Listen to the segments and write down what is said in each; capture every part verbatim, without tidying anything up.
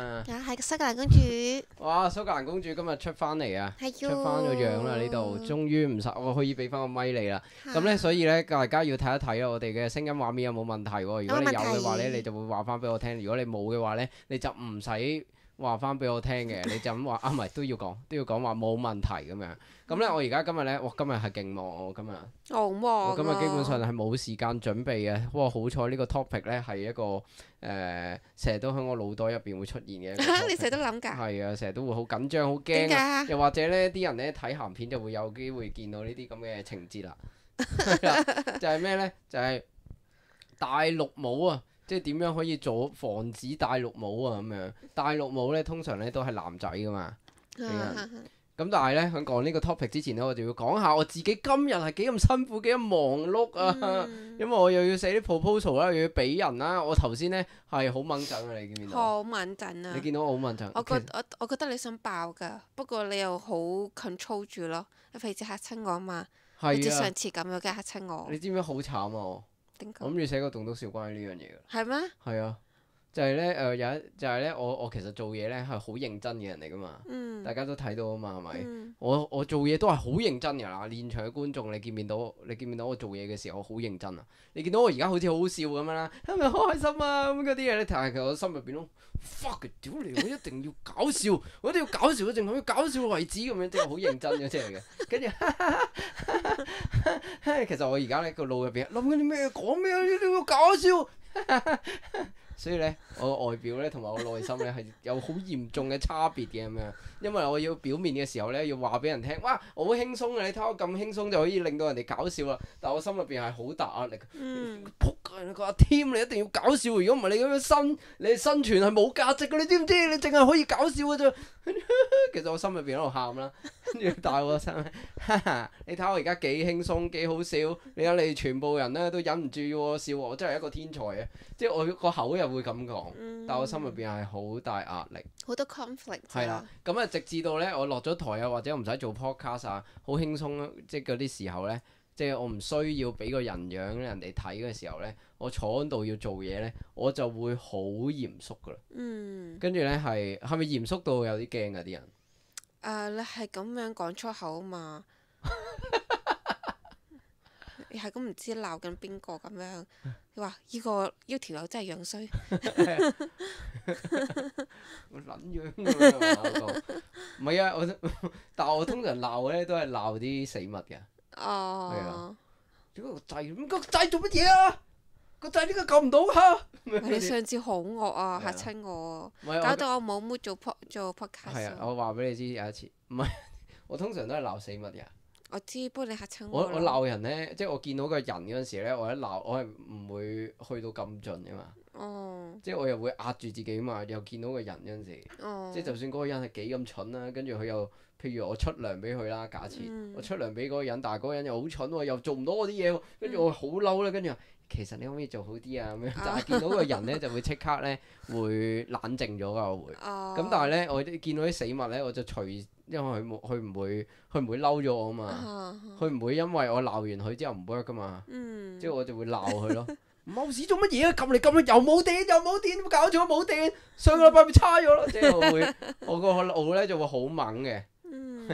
啊？啊，係蘇格蘭公主。哇！蘇格蘭公主今日出翻嚟啊，係出翻咗樣啦呢度，終於唔使我可以俾翻個咪你啦。咁呢，所以呢，大家要睇一睇啊，我哋嘅聲音畫面有冇問題喎？如果你有嘅話呢，你就會話翻俾我聽；如果你冇嘅話呢，你就唔使話翻俾我聽嘅，你就咁話啊，唔係都要講，都要講話冇問題咁樣。咁呢，我而家今日呢，哇！今日係勁忙我今日，好忙啊！我今日基本上係冇時間準備嘅。哇！好彩呢個 topic 呢係一個誒，成日都喺我腦袋入邊會出現嘅一個 topic。你成日都諗㗎？係啊，成日都會好緊張、好驚啊！又或者呢啲人呢睇鹹片就會有機會見到呢啲咁嘅情節啦。就係咩呢？就係戴綠帽啊！即係點樣可以做防止戴綠帽啊？咁樣戴綠帽呢，通常呢都係男仔噶嘛。咁但係呢，喺講呢個 topic 之前呢，我就要講下我自己今日係幾咁辛苦、幾咁忙碌啊！嗯、因為我又要寫啲 proposal 啦，又要俾人啦。我頭先呢係好掹陣啊！你見唔見到？好掹陣啊！你見到我好掹陣？我覺我我覺得你想爆㗎，不過你又好 control 住咯，你費事嚇親我啊嘛！好似上次咁樣嘅嚇親我。你知唔知好慘啊？點講？我諗住寫個棟篤笑關於呢樣嘢㗎。係咩？係啊。就係咧，誒、呃、有一就係、是、咧，我我其實做嘢咧係好認真嘅人嚟噶嘛，嗯、大家都睇到啊嘛，係咪、嗯？我我做嘢都係好認真㗎啦，現場嘅觀眾你見唔見到？你見唔見到我做嘢嘅時候我好認真啊？你見到我而家好似好好笑咁樣啦，係咪好開心啊？咁嗰啲嘢咧，但係其實我心入邊都 fuck 屌你！我一定要搞笑，我一定要搞笑，一定要搞笑為止咁樣，即係好認真嘅即係嘅。跟住，其實我而家咧個腦入邊諗緊啲咩？講咩？一定要搞笑。所以咧，我個外表咧同埋我內心咧係有好嚴重嘅差別嘅咁樣，因為我要表面嘅時候咧要話俾人聽，哇，我好輕鬆嘅，你睇我咁輕鬆就可以令到人哋搞笑啦。但我心入邊係好大壓力。嗯。仆街！你個阿 Tim 你一定要搞笑，如果唔係你咁樣生，你生存係冇價值嘅，你知唔知？你淨係可以搞笑嘅啫。其實我心入邊喺度喊啦，跟住大我心，哈哈！你睇我而家幾輕鬆幾好笑，你睇你哋全部人咧都忍唔住要我笑，我真係一個天才啊！即係我個口又會咁講，嗯、但我心入邊係好大壓力，好多 conflict。係啦，咁啊直至到咧我落咗台啊，或者唔使做 podcast 啊，好輕鬆，即係嗰啲時候咧，即係我唔需要俾個人樣人哋睇嘅時候咧，我坐喺度要做嘢咧，我就會好嚴肅噶啦。嗯。跟住咧係係咪嚴肅到有啲驚㗎啲人？誒、uh, 你係咁樣講粗口啊嘛，你係咁唔知鬧緊邊個咁樣，你話依個依條友真係樣衰，我撚樣㗎唔係啊，我但係我通常鬧咧都係鬧啲死物嘅。哦。係啊。點解個掣咁個掣做乜嘢啊？個掣點解撳唔到㗎？你上次好惡啊，嚇親我，搞到我冇 mood 做 pod 做 podcast。係啊，我話俾你知有一次，唔係我通常都係鬧死物嘅。我知，不過你嚇親我。我我鬧人咧，即係我見到個人嗰陣時咧，我一鬧我係唔會去到咁盡嘅嘛。哦。即係我又會壓住自己嘛，又見到個人嗰陣時，哦、即係就算嗰個人係幾咁蠢啦，跟住佢又譬如我出糧俾佢啦，假設、嗯、我出糧俾嗰個人，但係嗰個人又好蠢喎，又做唔到我啲嘢喎，跟住我好嬲啦，跟住話其實你可唔可以做好啲啊咁樣？但係見到個人咧就會即刻咧會冷靜咗㗎，我會。咁、哦、但係咧我見到啲死物咧，我就隨因為佢冇佢唔會佢唔會嬲咗我啊嘛，佢唔、哦、會因為我鬧完佢之後唔 work 㗎嘛，嗯、即係我就會鬧佢咯。冇事做乜嘢啊？撳嚟撳去又冇電又冇電，搞咗冇電。上個禮拜咪差咗咯，即係我會我個腦咧就會好猛嘅。嗯，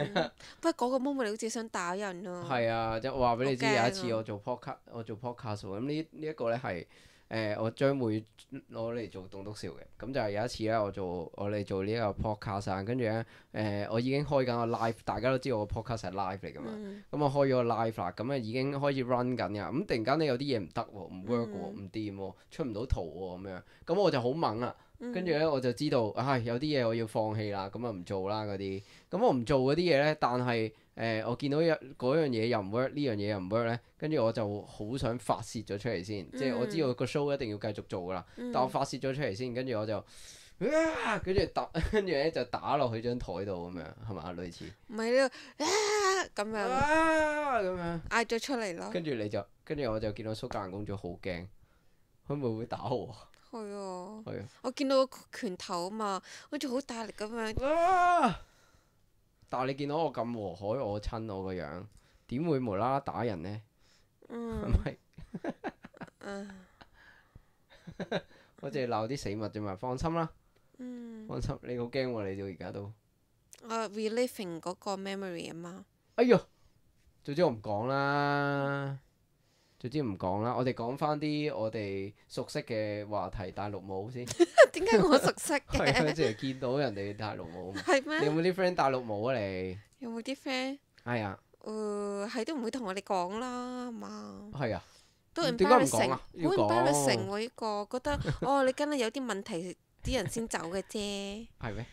不過嗰個 moment 你好似想打人咯。係啊，即係我話俾你知，有一次我做 podcast，我做 podcast 咁呢呢一個咧係誒我將會攞嚟做棟篤笑嘅。咁就係有一次咧，我做我哋做呢一個 podcast 啊，跟住咧誒我已經開緊個 live，大家都知道我個 podcast 係 live 嚟㗎嘛。咁、嗯、我開咗個 live 啦，咁啊已經開始 run 緊㗎。咁突然間咧有啲嘢唔得喎，唔 work 喎，唔掂喎，出唔到圖喎咁樣。咁我就好猛啦。跟住咧我就知道，唉、哎、有啲嘢我要放棄啦，咁啊唔做啦嗰啲。咁我唔做嗰啲嘢咧，但係誒、呃、我見到有嗰樣嘢又唔 work，呢樣嘢又唔 work 咧，跟住我就好想發泄咗出嚟先，嗯、即係我知道個 show 一定要繼續做噶啦，嗯、但我發泄咗出嚟先，跟住我就，跟住打，跟住咧就打落去張台度咁樣，係咪類似？唔係呢個咁樣。啊咁樣。嗌咗出嚟咯。跟住你就，跟住我就見到蘇格蘭公主好驚，佢會唔會打我？係啊，係啊，我見到個拳頭啊嘛，好似好大力咁樣。啊！但係你見到我咁和藹我親我個樣，點會無啦啦打人呢？嗯。係咪？我淨係鬧啲死物啫嘛，放心啦。嗯。放心，你好驚喎，你到而家都。我 reliving 嗰個 memory 啊嘛。哎呀，總之我唔講啦，總之唔講啦。我哋講翻啲我哋熟悉嘅話題，大陸舞先。點解我熟悉嘅？係啊，淨係見到人哋大陸舞。係咩？你有冇啲 friend 大陸舞啊？你有冇啲 friend？係啊。誒，係都唔會同我哋講啦，係嘛？係啊。都點解唔講 embarrassing，啊？好要講。embarrassing 喎！呢個覺得哦，你梗係有啲問題，啲人先走嘅啫。係咩？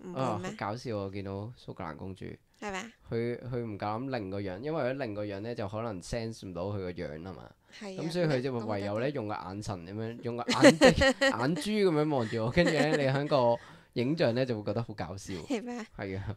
唔會啊，好咩？搞笑啊！我見到蘇格蘭公主，係咪？佢佢唔夠膽擰個樣，因為佢擰個樣咧就可能 sense 唔到佢個樣啊嘛。係啊。咁所以佢就咁唯有得咧用個眼神咁樣，用個眼睛眼珠咁樣望住我，跟住咧你喺個影像咧就會覺得好搞笑。係咩？係啊。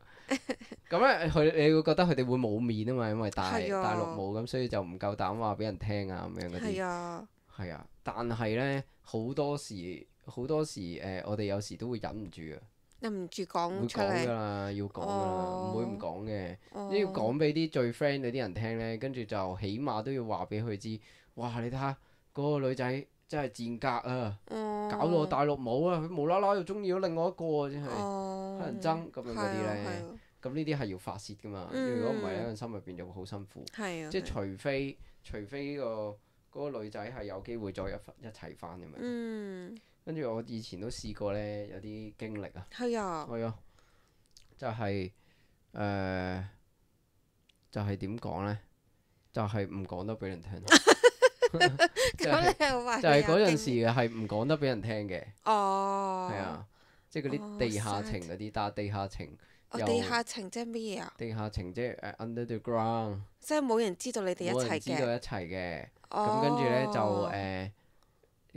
咁咧佢你會覺得佢哋會冇面啊嘛，因為大係啊大陸舞咁，所以就唔夠膽話俾人聽啊咁樣嗰啲。係啊。係啊，但係咧好多時好多時誒，我哋有時都會忍唔住啊。忍唔住會講出講㗎嚟。啦，要講㗎啦，哦唔會唔講嘅。哦都要講俾啲最 friend 嗰啲人聽咧，跟住就起碼都要話俾佢知。哇！你睇下嗰個女仔真係賤格啊，哦搞到我大陸舞啊，佢無啦啦又中意咗另外一個啊，真係哦乞人憎咁樣嗰啲係啊咧。係啊咁呢啲係要發泄㗎嘛，嗯如果唔係咧，心入邊就會好辛苦。係啊。即係係啊除非除非呢個嗰個女仔係有機會再一一齊翻咁樣。嗯。跟住我以前都試過咧，有啲經歷啊。係啊。係啊，就係、誒、就係點講呢？就係唔講得俾人聽。就咁係你又話就係你有嗰陣時經係唔講得俾人聽嘅。哦。係啊，即係嗰哦啲地下情 sad 嗰啲，但係地下情哦，又地下情即係乜嘢啊？地下情即係誒 under the ground，即係冇人知道你哋一齊冇人知道嘅。一齊嘅。咁哦。跟住呢，就誒，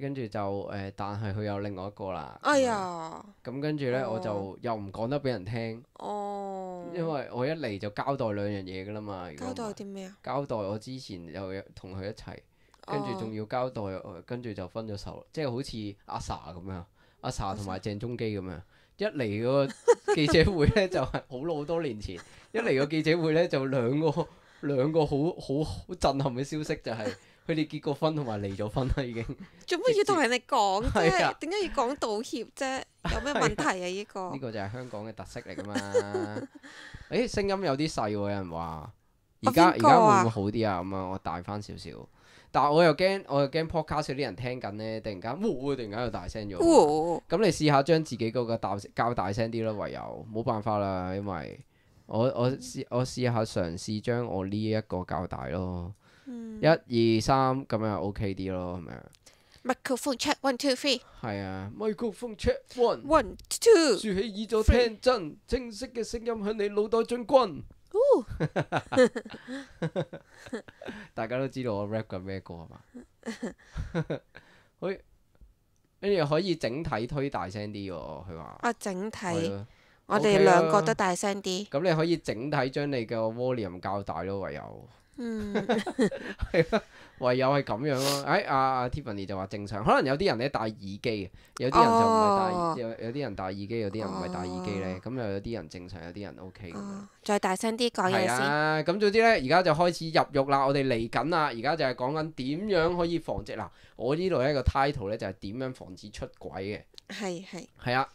跟住就誒，但係佢有另外一個啦。哎呀。咁跟住呢，哦我就又唔講得俾人聽，哦。因為我一嚟就交代兩樣嘢㗎啦嘛。如果交唔係代啲咩啊？交代我之前又有同佢一齊，跟住仲哦要交代，呃跟住就分咗手，即係好似阿 sa 咁樣，阿 sa 同埋鄭中基咁樣。一嚟嗰個記者會呢，就係好老好多年前，一嚟個記者會呢，就兩個兩個好好好震撼嘅消息，就係佢哋結過婚同埋離咗婚啦已經。做乜要同人哋講係啊啫？點解要講道歉啫？有咩問題啊？呢個呢個就係香港嘅特色嚟㗎嘛。誒聲音有啲細喎，有人話。而家而邊個啊家會唔會好啲啊？咁啊，我大翻少少。但係我又驚，我又驚 podcast 啲人聽緊呢，突然間，哇！突然間又大聲咗。哦咁你試下將自己嗰個大較大聲啲咯，唯有冇辦法啦，因為我我試我試下嘗試將我呢一個較大咯。嗯一二三咁樣 OK 啲咯，係咪啊？ ，microphone check one two three 係啊，microphone check one， one two。豎起耳朵聽真，清晰嘅聲音向你腦袋進軍。大家都知道我 rap 緊咩歌係嘛？可以，跟住可以整體推大聲啲喎，佢話。啊，整體係啊我 OK 哋兩個啊都大聲啲。咁你可以整體將你嘅 volume 較大咯，唯有嗯。係啊，唯有係咁樣咯。誒，阿阿 Tiffany 就話正常，可能有啲人咧戴耳機，有啲人就唔係戴耳，哦有有啲人戴耳機，有啲人唔係戴耳機咧。哦咁又有啲人正常，有啲人 OK 咁樣。哦，再大聲啲講嘢係先。啊，咁總之咧，而家就開始入獄啦。我哋嚟緊啦，而家就係講緊點樣可以防止嗱。我呢度一個 title 咧就係點樣防止出軌嘅。係係。係啊，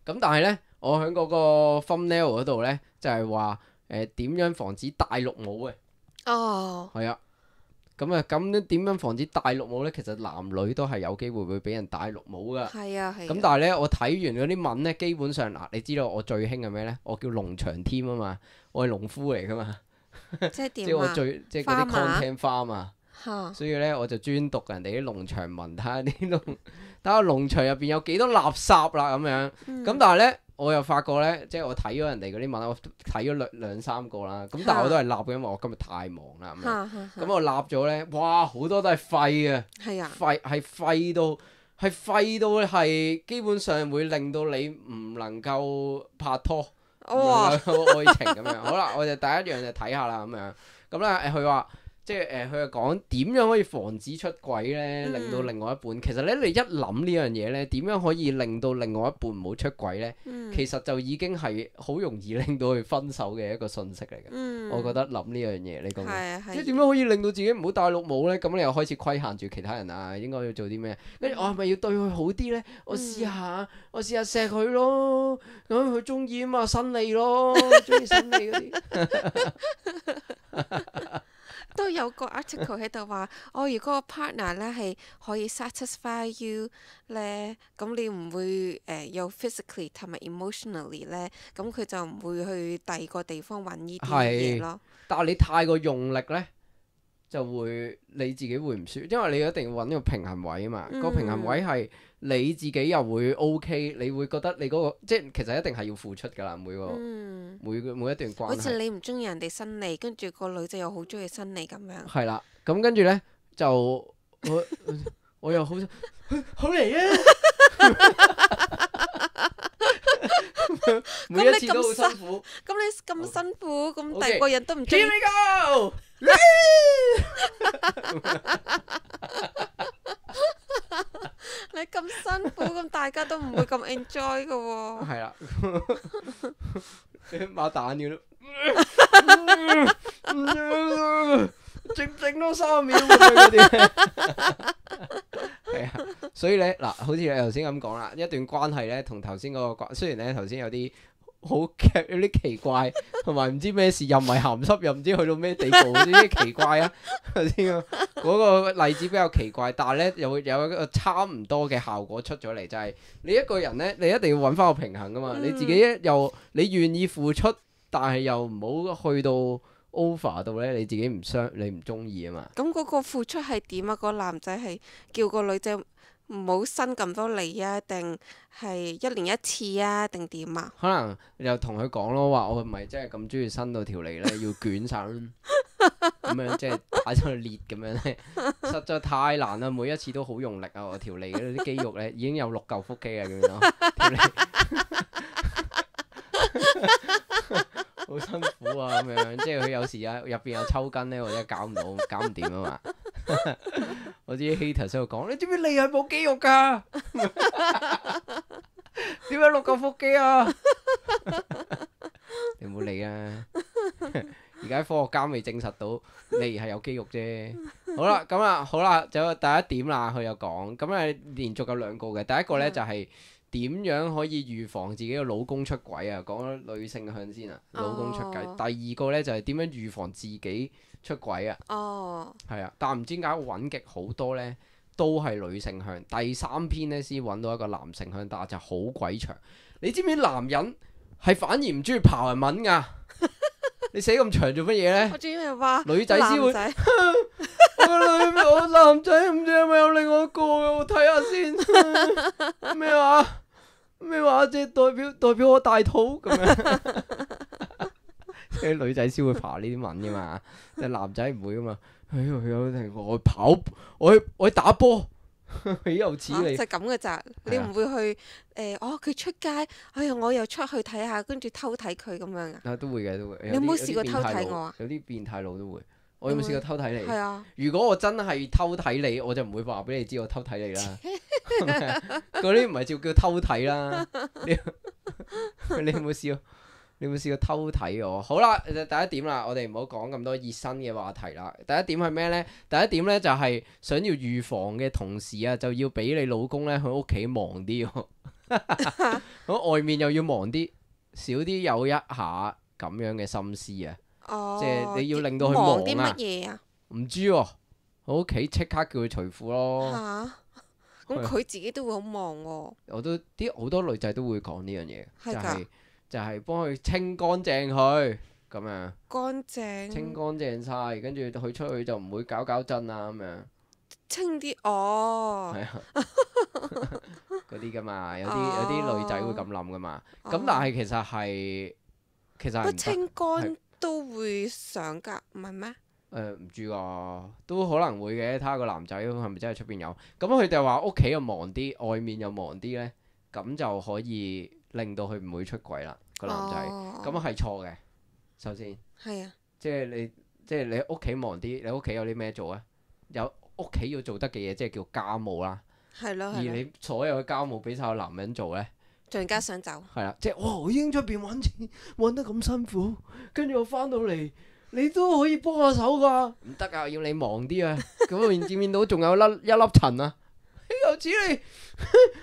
咁但係咧，我喺嗰個 thumbnail 嗰度咧就係話誒點樣防止大陸舞嘅。哦。係啊，咁啊咁點樣防止大陸舞咧？其實男女都係有機會會俾人大陸舞噶。係啊係。咁但係咧，我睇完嗰啲文咧，基本上嗱，你知道我最興係咩咧？我叫農場添啊嘛，我係農夫嚟噶嘛，即係即係我點啊？最即係嗰啲 content farm 啊。嚇。所以咧，我就專讀人哋啲農場文，睇下啲農，睇下農場入邊有幾多垃圾啦咁樣。咁、嗯但係咧，我又發覺咧，即係我睇咗人哋嗰啲文，我睇咗兩兩三個啦。咁但係我都係立嘅，因為我今日太忙啦。咁樣嚇嚇咁我立咗咧，哇！好多都係廢嘅，係啊。廢係廢到係廢到係基本上會令到你唔能夠拍拖，唔哇能夠愛情咁樣。好啦，我就第一樣就睇下啦咁樣。咁咧誒，佢話。即係誒，佢係講點樣可以防止出軌咧，嗯令到另外一半。其實咧，你一諗呢樣嘢咧，點樣可以令到另外一半唔好出軌咧？嗯其實就已經係好容易令到佢分手嘅一個訊息嚟嘅。嗯、我覺得諗呢樣嘢，你講嘅，即係點樣可以令到自己唔好戴綠帽呢？咁你又開始規限住其他人啊，應該要做啲咩？跟住我係咪要對佢好啲呢？我試下，我試下錫佢咯，咁佢中意啊嘛，伸脷咯，中意伸脷嗰啲。都有個 article 喺度話，哦，如果個 partner 咧係可以 satisfy you 咧，咁你唔會誒、呃、有 physically 同埋 emotionally 咧，咁佢就唔會去第二個地方揾呢啲嘢咯。但係你太過用力咧，就會你自己會唔舒服，因為你一定要揾個平衡位啊嘛。嗯、個平衡位係你自己又會 OK，你會覺得你嗰、嗰個即係其實一定係要付出㗎啦，每個、嗯、每個每一段關係。好似你唔中意人哋伸脷，跟住個女仔又好中意伸脷咁樣。係啦，咁跟住咧就我我又好好嚟啊！每一次都好辛苦。咁你咁辛苦，咁 Okay. 第二個人都唔中意。Here we go！你咁辛苦，咁大家都唔會咁 enjoy 㗎喎。係啦，擘大眼要整整多三秒咁樣嗰啲。係啊，所以咧嗱，好似你頭先咁講啦，一段關係咧，同頭先嗰個關，雖然咧頭先有啲好劇有啲奇怪，同埋唔知咩事，又唔係鹹濕，又唔知去到咩地步，呢啲奇怪啊！頭先嗰個例子比較奇怪，但係咧又會有一個差唔多嘅效果出咗嚟，就係、是、你一個人咧，你一定要揾翻個平衡噶嘛，嗯、你自己又你願意付出，但係又唔好去到 over 到咧，你自己唔傷，你唔中意啊嘛。咁嗰個付出係點啊？個男仔係叫個女仔唔好伸咁多脷啊，定係一年一次啊，定點啊？可能又同佢講咯，話我唔係真係咁中意伸到條脷咧，要捲晒咁樣，即係打出去裂咁樣咧，實在太難啦！每一次都好用力啊，我條脷嗰啲肌肉咧已經有六嚿腹肌啊，咁樣條脷好辛苦啊，咁樣即係佢有時啊入邊有抽筋咧，或者搞唔到，搞唔掂啊嘛。我知 hater 喺度講，你知唔知脷係冇肌肉噶？點解六嚿腹肌啊？你唔好理啊！而家科學家未證實到脷係有肌肉啫。好啦，咁啊，好啦，就有第一點啦。佢有講，咁啊連續有兩個嘅。第一個咧就係點樣可以預防自己嘅老公出軌啊？講咗女性向先啊，老公出軌。哦、第二個咧就係點樣預防自己出軌啊？哦，係啊，但唔知點解揾極好多咧，都係女性向。第三篇咧先揾到一個男性向，但係就好鬼長。你知唔知男人係反而唔中意刨人文㗎？你寫咁長做乜嘢咧？我仲以為話女仔先會，我女我男仔唔知係咪有另外一個嘅，我睇下先。咩話？咩話？即係代表代表我大肚咁樣。即係女仔先會爬呢啲文噶嘛，但係男仔唔會噶嘛。哎呀，有啲我去跑，我去我去打波。豈有此理！就咁嘅咋，你唔會去誒？哦，佢出街，哎呀，我又出去睇下，跟住偷睇佢咁樣啊？啊，都會嘅，都會。你有冇試過偷睇我啊？有啲變態佬都會。我有冇試過偷睇你？係啊。如果我真係偷睇你，我就唔會話俾你知我偷睇你啦。嗰啲唔係叫叫偷睇啦。你你有冇試過？你有冇試過偷睇我？好啦，第一點啦，我哋唔好講咁多熱身嘅話題啦。第一點係咩呢？第一點呢，就係、是、想要預防嘅同時啊，就要俾你老公呢喺屋企忙啲喎，喺外面又要忙啲，少啲有一下咁樣嘅心思啊。哦、即係你要令到佢忙啊。忙啲乜嘢啊？唔知喎、啊，喺屋企即刻叫佢除褲咯。嚇！咁佢自己都會好忙喎。我都啲好多女仔都會講呢樣嘢，係㗎。就係就係幫佢清乾淨佢咁樣，乾淨清乾淨晒，跟住佢出去就唔會搞搞震啊咁樣。清啲哦，係啊，嗰啲噶嘛，有啲有啲女仔會咁諗噶嘛。咁、哦、但係其實係其實係唔得。清乾都會上㗎，唔係咩？誒唔知啊，都可能會嘅。睇下個男仔係咪真係出邊有。咁佢哋話屋企又忙啲，外面又忙啲咧，咁就可以令到佢唔會出軌啦。個男仔咁係錯嘅，首先係啊，即係你即係你屋企忙啲，你屋企有啲咩做啊？有屋企要做得嘅嘢，即係叫家務啦。係咯，而你所有嘅家務俾晒個男人做咧，仲更加想走。係啦，即係哇！我已經出邊揾錢揾得咁辛苦，跟住我翻到嚟，你都可以幫下手㗎？唔得啊，要你忙啲啊！咁我見見到仲有粒一粒塵啊！又指你，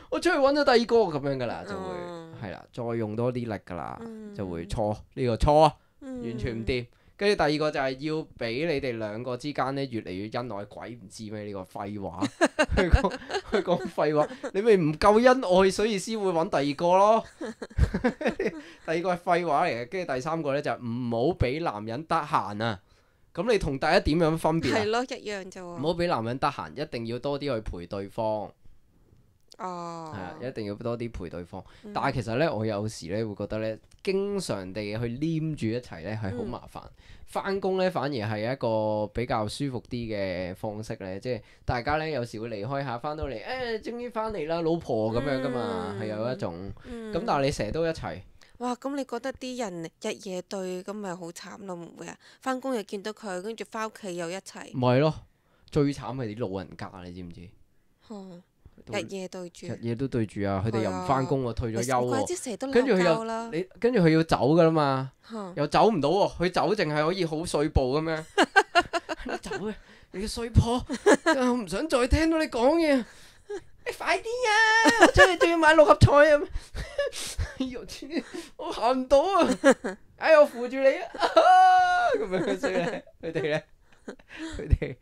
我出去揾咗第二個咁樣㗎啦，就會係啦、嗯，再用多啲力㗎啦，嗯、就會錯呢、呢個錯啊，嗯、完全唔掂。跟住第二個就係要俾你哋兩個之間咧越嚟越恩愛，鬼唔知咩呢、呢個廢話，佢講佢講廢話，你咪唔夠恩愛，所以先會揾第二個咯。第二個係廢話嚟嘅，跟住第三個咧就係唔好俾男人得閒啊。咁你同第一點有乜分別啊？係咯，一樣啫喎。唔好俾男人得閒，一定要多啲去陪對方。哦。係啊，一定要多啲陪對方。嗯、但係其實咧，我有時咧會覺得咧，經常地去黏住一齊咧係好麻煩。翻工咧反而係一個比較舒服啲嘅方式咧，即係大家咧有時會離開下，翻到嚟誒，終於翻嚟啦，老婆咁樣噶嘛，係、嗯、有一種。咁、嗯、但係你成日都一齊。哇！咁你覺得啲人日夜對咁咪好慘咯？唔會啊？翻工又見到佢，跟住翻屋企又一齊。唔係咯，最慘係啲老人家，你知唔知？嗯、日夜對住。日夜都對住啊！佢哋又唔翻工喎，退咗休喎。跟住佢又你，跟住佢要走噶啦嘛，嗯、又走唔到喎。佢走淨係可以好碎步咁樣。你走嘅，你嘅衰婆，我唔想再聽到你講嘢。你快啲啊！我出去仲要買六合彩啊！哎呦天，我行唔到啊！哎，我扶住你啊！咁樣所以咧，佢哋咧，佢哋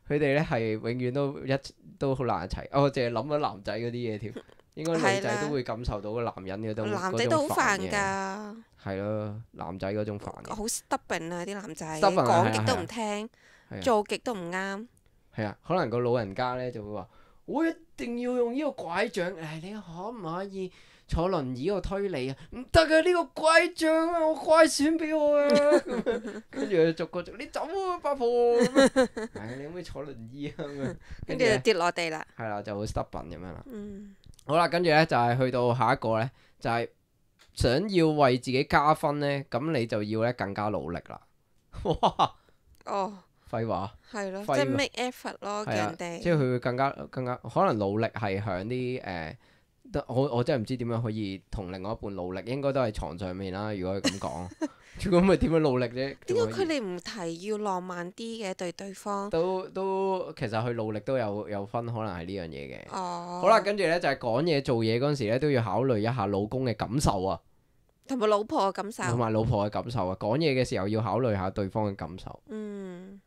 佢哋咧係永遠都一都好難一齊。我淨係諗咗男仔嗰啲嘢添，應該女仔都會感受到個男人嘅都男仔都好煩㗎。係咯，男仔嗰種煩嘅。好 stubborn 啊！啲男仔講極都唔聽，做極都唔啱。係啊，可能個老人家咧就會話。我一定要用呢個拐杖，誒、哎，你可唔可以坐輪椅度推你啊？唔得嘅，呢個拐杖啊，我乖選俾我啊！跟住佢逐個逐，你走啊，八婆！誒、哎，你可唔可以坐輪椅啊？咁樣跟住就跌落地啦。係啦，就好 stubborn 咁樣啦。嗯、好啦，跟住咧就係、是、去到下一個咧，就係、是、想要為自己加分咧，咁你就要咧更加努力啦。哇！哦。廢話，係咯，話即係 make effort 咯，叫人哋。即係佢會更加更加可能努力係響啲誒，我我真係唔知點樣可以同另外一半努力，應該都係床上面啦。如果佢咁講，咁咪點樣努力啫？點解佢哋唔提要浪漫啲嘅對對方？都都其實佢努力都有有分，可能係呢樣嘢嘅。哦。好啦，跟住咧就係講嘢做嘢嗰陣時咧，都要考慮一下老公嘅感受啊，同埋老婆嘅感受。同埋老婆嘅感受啊，講嘢嘅時候要考慮下對方嘅感受。嗯。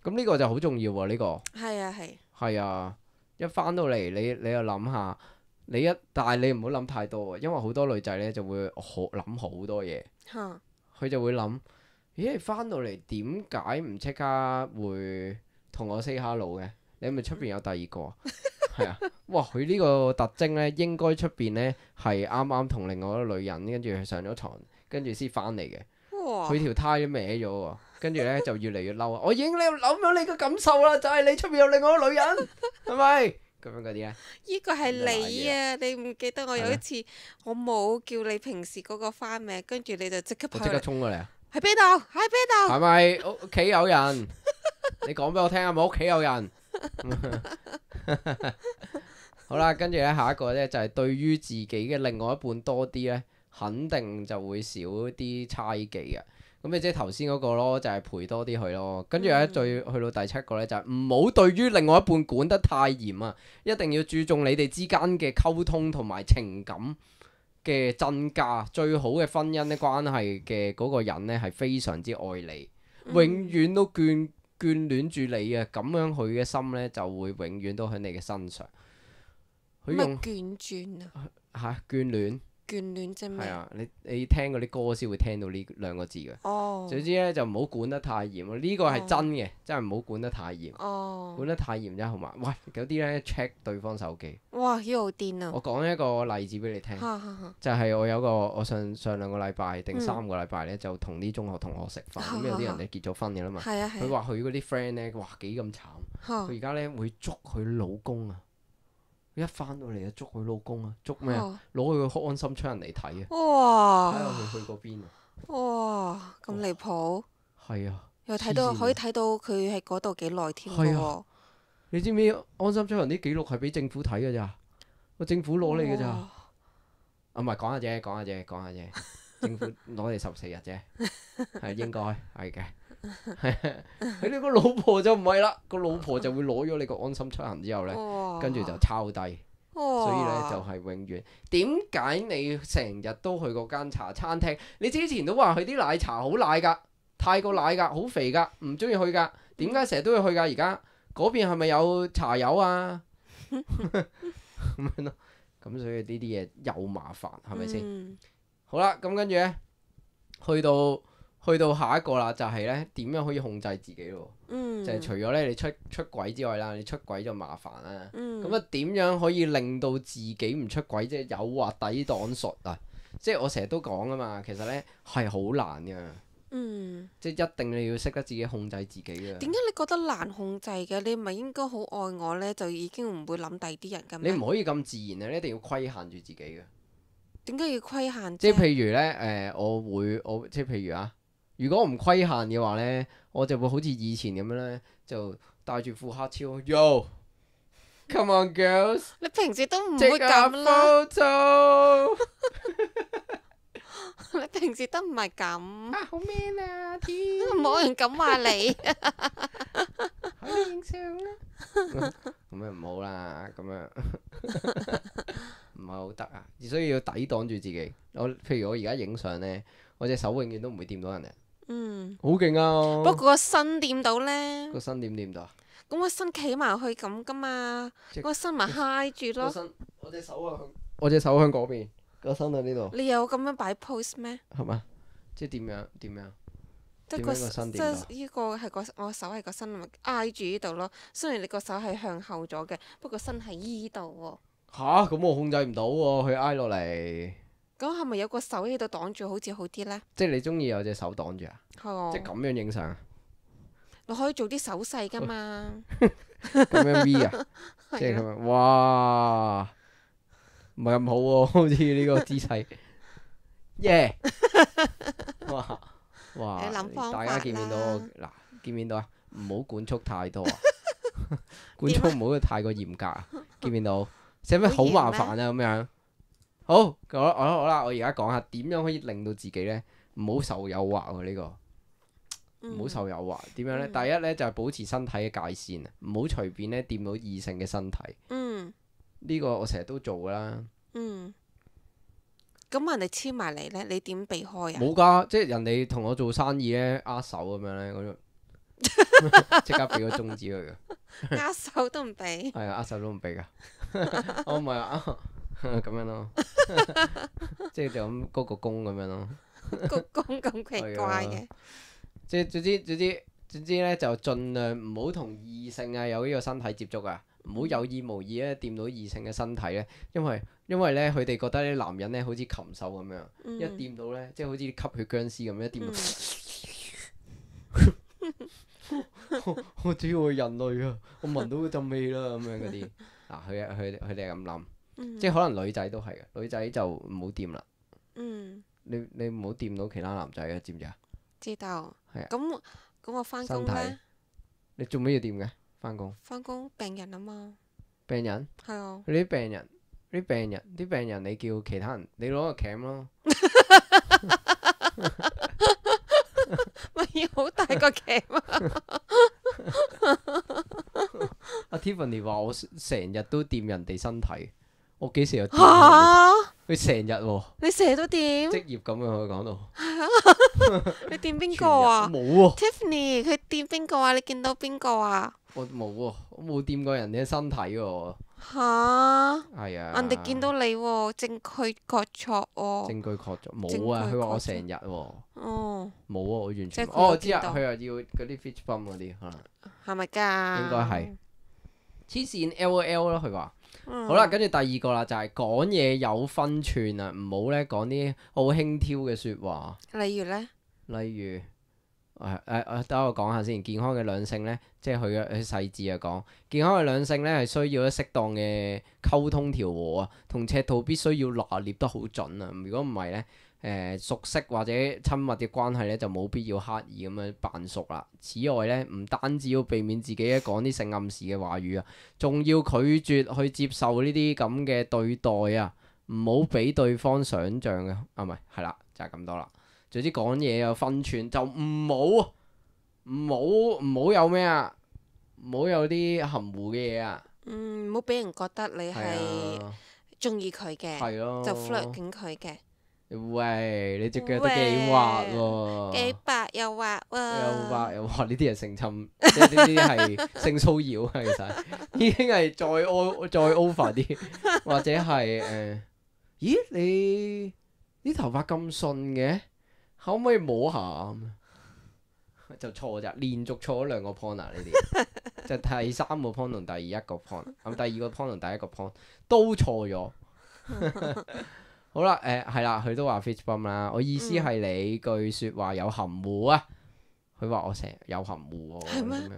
咁呢個就好重要喎，呢個係啊係。係啊，一翻到嚟你你又諗下，你一但係你唔好諗太多，因為好多女仔咧就會好諗好多嘢。佢哈就會諗，咦？你翻到嚟點解唔即刻會同我 say hello 嘅？你係咪出邊有第二個啊？係啊，哇！佢呢個特徵咧，應該出邊咧係啱啱同另外一個女人跟住上咗床，跟住先翻嚟嘅。佢條胎都歪咗喎。跟住咧就越嚟越嬲啊！我已經你諗咗你嘅感受啦，就係、是、你出邊有另外一個女人，係咪咁樣嗰啲咧？呢個係你啊！你唔記得我有一次嗎我冇叫你平時嗰個花名，跟住你就即刻跑嚟，即刻衝過嚟啊！喺邊度？喺邊度？係咪屋企有人？你講俾我聽啊！冇屋企有人。好啦，跟住咧下一個咧就係、是、對於自己嘅另外一半多啲咧，肯定就會少啲猜忌嘅。咁你即係頭先嗰個咯，就係、是、陪多啲佢咯。跟住咧，再去到第七個咧，就係唔好對於另外一半管得太嚴啊！一定要注重你哋之間嘅溝通同埋情感嘅增加。最好嘅婚姻嘅關係嘅嗰個人咧，係非常之愛你，永遠都眷眷戀住你啊！咁樣佢嘅心咧就會永遠都喺你嘅身上。佢用眷轉啊！嚇眷戀。眷戀啫咩？係啊，你你聽嗰啲歌先會聽到呢兩個字嘅。哦。總之咧就唔好管得太嚴咯，呢個係真嘅，真係唔好管得太嚴。哦。管得太嚴真係好麻煩。喂，有啲咧 check 對方手機。哇！呢個好癲啊！我講一個例子俾你聽。就係我有個我上上兩個禮拜定三個禮拜咧，就同啲中學同學食飯，咁有啲人咧結咗婚嘅啦嘛。係啊係。佢話佢嗰啲 friend 咧，哇幾咁慘。佢而家咧會捉佢老公啊！一翻到嚟就捉佢老公啊，捉咩啊？攞佢個安心出人嚟睇啊！哇！睇下佢去嗰邊啊！哇！咁離譜。係啊。又睇到可以睇到佢喺嗰度幾耐添喎。你知唔知安心出人啲記錄係俾政府睇㗎咋？個政府攞你㗎咋？啊唔係講下啫，講下啫，講下啫。政府攞你十四日啫，係應該係嘅。佢呢個老婆就唔係啦，個老婆就會攞咗你個安心出行之後咧，哇跟住就抄低。哇所以咧就係永遠點解你成日都去嗰間茶餐廳？你之前都話佢啲奶茶好奶㗎，泰國奶㗎，好肥㗎，唔中意去㗎。點解成日都要去㗎？而家嗰邊係咪有茶友啊？咁樣咯，咁所以呢啲嘢又麻煩，係咪先？嗯好啦，咁跟住咧，去到去到下一個啦，就係咧點樣可以控制自己咯？嗯就係除咗咧你出出軌之外啦，你出軌就麻煩啦。嗯咁啊點樣可以令到自己唔出軌？即係誘惑抵擋術啊！即係我成日都講啊嘛，其實咧係好難噶。嗯，即係一定你要識得自己控制自己嘅。點解你覺得難控制嘅？你唔係應該好愛我呢，就已經唔會諗第二啲人㗎咩？你唔可以咁自然啊！你一定要規限住自己嘅。點解要規限啫？即係譬如咧，誒、呃，我會我即係譬如啊，如果我唔規限嘅話咧，我就會好似以前咁樣咧，就帶住副黑超，Yo，come on girls，你平時都唔 take 會 a 咁啦， photo。你平時都唔係咁，啊，好 man 啊！天，冇人敢話你。可以影相啦。咁樣唔好啦，咁樣唔係好得啊，所以要抵擋住自己。我譬如我而家影相咧，我隻手永遠都唔會掂到人哋。嗯，好勁啊！不過個身掂到呢，個身點掂到啊？咁個身企埋去咁噶嘛，即個身咪揩住咯。個身，我隻手啊向，我隻手向嗰邊，個身喺呢度，你有咁樣擺 pose 咩？係嘛？即係點樣？點樣？即係個點樣個身即掂到係呢個係個我手係個身咪挨住呢度咯。雖然你個手係向後咗嘅，不過身係依度喎。吓？咁我控制唔到喎，佢挨落嚟。咁係咪有個手喺度擋住好似好啲呢？即係你中意有隻手擋住啊？係啊即係咁樣影相啊？你可以做啲手勢噶嘛。咁樣 V 啊？即係係啊，咁樣，哇！唔係咁好喎，好似呢個姿勢。耶！哇哇！你諗方大家法見唔見到我？啦嗱，見唔見到啊？唔好管束太多啊！管束唔好太過嚴格啊！見唔見到？使乜好麻煩啊？咁樣。好，我我好啦，我而家講下點樣可以令到自己咧唔好受誘惑喎？呢個唔好受誘惑。點樣咧？嗯第一咧就係保持身體嘅界線啊，唔好隨便咧掂到異性嘅身體。嗯呢個我成日都做噶啦。嗯。咁人哋黐埋嚟呢，你點避開啊？冇㗎，即係人哋同我做生意咧，握手咁樣咧，我就即刻俾個中指佢嘅。握手都唔俾。係啊，握手都唔俾㗎。我唔係啊，咁樣咯，即係就咁鞠個躬咁樣咯。鞠躬咁奇怪嘅。即係總之總之總之咧，就盡量唔好同異性啊有呢個身體接觸啊，唔好有意無意咧掂到異性嘅身體咧，因為因為咧佢哋覺得啲男人咧好似禽獸咁樣，嗯一掂到咧即係好似吸血僵屍咁，一掂到，我我知我係人類啊，我聞到嗰陣味啦咁樣嗰啲。嗱，佢佢佢哋係咁諗，嗯即係可能女仔都係嘅，女仔就唔好掂啦。嗯，你你唔好掂到其他男仔嘅，知唔知啊？知道。係啊咁咁我翻工身體呢？你做咩要掂嘅？翻工翻工病人啊嘛。病人，係啊。你啲病人，啲病人，啲病人，你叫其他人，你攞個鉗咯。咪要好大個鉗啊！阿 Tiffany 話我成日都掂人哋身體，我幾時有掂人哋？嚇！佢成日喎，你成日都掂？職業咁樣佢講到。你掂邊全日個啊冇喎， ？Tiffany 佢掂邊個啊？你見到邊個啊？我冇喎，我冇掂過人哋嘅身體喎。嚇！係啊。人哋見到你喎，證據確鑿喎。證據確鑿冇證啊！據佢話我確鑿成日喎，哦，冇啊！我完即係佢全冇哦，我知啊，有見到佢又要嗰啲 fish bum 嗰啲可能。係咪㗎？應該係黐線 L O L 咯，佢話。嗯。好啦，跟住第二個啦，就係講嘢有分寸啊，唔好咧講啲好輕佻嘅説話。例如呢？例如，誒誒誒，等我講下先。健康嘅兩性咧，即係佢嘅佢細緻啊講，健康嘅兩性咧係需要咧適當嘅溝通調和啊，同尺度必須要拿捏得好準啊。如果唔係咧，誒、熟悉或者親密嘅關係咧，就冇必要刻意咁樣扮熟啦。此外咧，唔單止要避免自己咧講啲性暗示嘅話語啊，仲要拒絕去接受呢啲咁嘅對待啊。唔好俾對方想像嘅，啊唔係係啦，就係、是、咁多啦。總之講嘢有分寸，就唔好唔好唔好有咩啊，唔好有啲含糊嘅嘢啊。嗯，唔好俾人覺得你係係中意佢嘅，係咯，就 flirt 緊佢嘅。喂，你隻腳都幾滑喎，幾白又滑喎，又滑又滑，呢啲係性侵，即係呢啲係性騷擾啊！其實已經係再 o 再 over 啲，或者係誒、呃，咦你啲頭髮咁順嘅，可唔可以摸下咁？就錯咋，連續錯咗兩個 point 啊！呢啲就第三個 point 同第一個 point，咁第二個 point 同第一個 point 都錯咗。好啦，誒係啦，佢都話 fist bump 啦。我意思係你句説話有含糊啊。佢話我成日有含糊喎，咁樣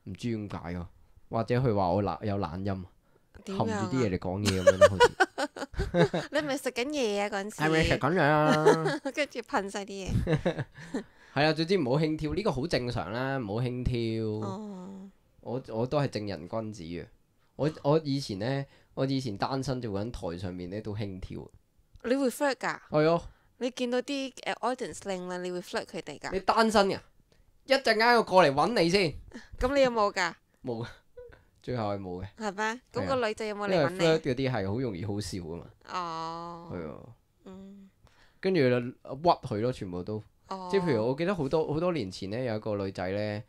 唔知點解喎。或者佢話我懶有懶音，含住啲嘢嚟講嘢咁樣咯，好似。你係咪食緊嘢啊？嗰陣時係咪食緊嘢啊？跟住噴晒啲嘢。係啊，總之唔好輕佻，呢個好正常啦，唔好輕佻。哦，我我都係正人君子嘅。我我以前咧，我以前單身做緊台上面咧都輕佻。你會 flirt 㗎？係啊。你見到啲誒 audience 靚啦，你會 flirt 佢哋㗎？你單身㗎？一陣間我過嚟揾你先。咁你有冇㗎？冇，最後係冇嘅。係咩？咁個女仔有冇嚟因為揾你？ flirt 嗰啲係好容易好笑噶嘛。哦。係啊。嗯。跟住就屈佢咯，全部都。哦。即係譬如我記得好多好多年前咧，有一個女仔咧，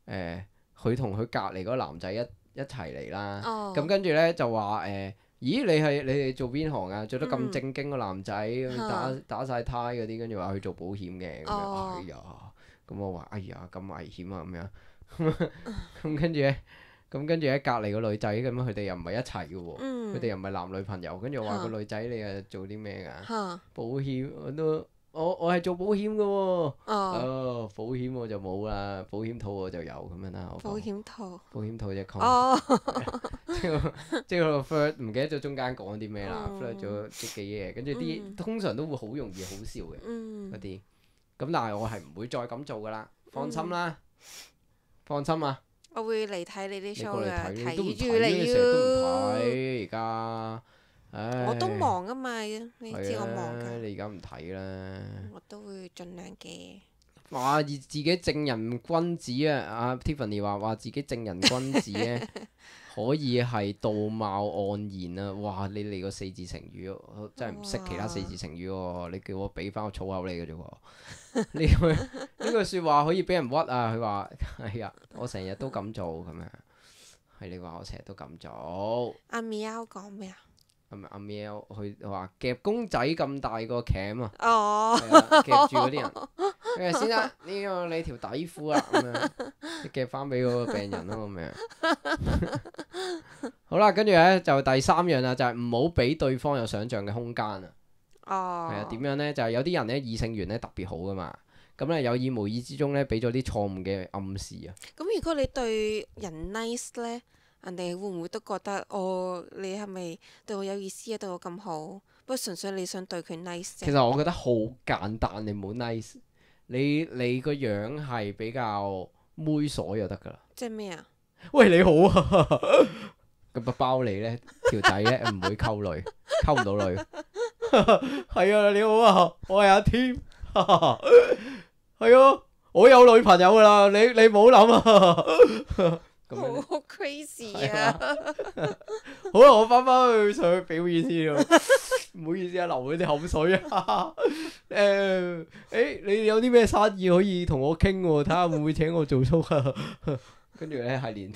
誒，佢同佢隔離嗰個男仔一一齊嚟啦。哦。咁跟住咧就話誒，咦你係你哋做邊行啊？做得咁正經個男仔，打打曬呔嗰啲，跟住話去做保險嘅咁樣。哎呀，咁我話哎呀咁危險啊咁樣。咁跟住咧，咁跟住喺隔離個女仔咁樣，佢哋又唔係一齊嘅喎，佢哋又唔係男女朋友。跟住我話個女仔你係做啲咩㗎？保險我都我我係做保險嘅喎。哦。保險我就冇啦，保險套我就有咁樣啦。保險套。保險套隻 con。哦。即係即係個 flirt 唔記得咗中間講啲咩啦，flirt 咗啲幾嘢，跟住啲通常都會好容易好笑嘅嗰啲。咁但係我係唔會再咁做㗎啦，放心啦，放心啊。我會嚟睇你啲 show 㗎，睇住你你成日都唔睇而家。唉。我都忙啊嘛，你知我忙㗎。你而家唔睇啦。我都會盡量嘅。話自己正人君子啊！阿 Tiffany 話話自己正人君子咧，可以係道貌岸然啊！哇！你嚟個四字成語，我真係唔識其他四字成語喎。你叫我俾翻個粗口你嘅啫喎。呢句呢句説話可以俾人屈啊！佢話係啊，我成日都咁做咁樣。係你話我成日都咁做。阿 Miao 講咩啊？係咪阿 Miao 佢話夾公仔咁大個鉗啊？哦。係啊，夾住嗰啲人。誒先啦，呢個你條底褲啊，咁樣你夾翻俾嗰個病人咯，咁樣。好啦，跟住咧就第三樣啦，就係唔好俾對方有想像嘅空間啊。哦。係啊，點樣咧？就係有啲人咧異性緣咧特別好噶嘛，咁咧有意無意之中咧俾咗啲錯誤嘅暗示啊。咁如果你對人 nice 咧，人哋會唔會都覺得哦，你係咪對我有意思啊？對我咁好，不過純粹你想對佢 nice 啫。其實我覺得好簡單，你唔好 nice。你你個樣係比較猥瑣就得㗎啦。即係咩啊？喂，你好啊！咁啊包你咧條仔咧唔會溝女，溝唔到女。係啊，你好啊，我係阿 Tim。係啊，我有女朋友㗎啦，你你唔好諗啊。好 crazy 啊！好啦，我翻返去上去表演先咯。唔好意思啊，流咗啲口水啊。誒誒，你有啲咩生意可以同我傾喎？睇下會唔會請我做 show 啊？跟住咧係連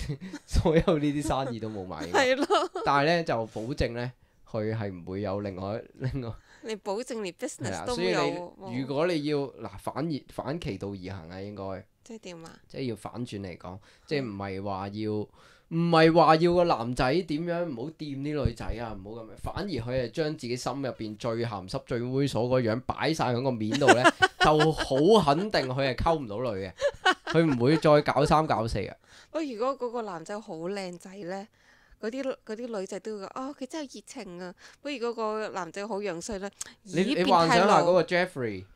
所有呢啲生意都冇買。係咯。但係咧就保證咧，佢係唔會有另外另外。你保證連 business 都所以有。你如果你要嗱反而反其道而行啊，應該。即係點啊？即係要反轉嚟講，即係唔係話要，唔係話要個男仔點樣唔好掂啲女仔啊，唔好咁樣。反而佢係將自己心入邊最鹹濕、最猥瑣個樣擺晒喺個面度咧，就好肯定佢係溝唔到女嘅，佢唔會再搞三搞四嘅。不過如果嗰個男仔好靚仔咧，嗰啲嗰啲女仔都會講哦，佢真係熱情啊。不過如果個男仔好樣衰咧，你你幻想下嗰個 Jeffrey。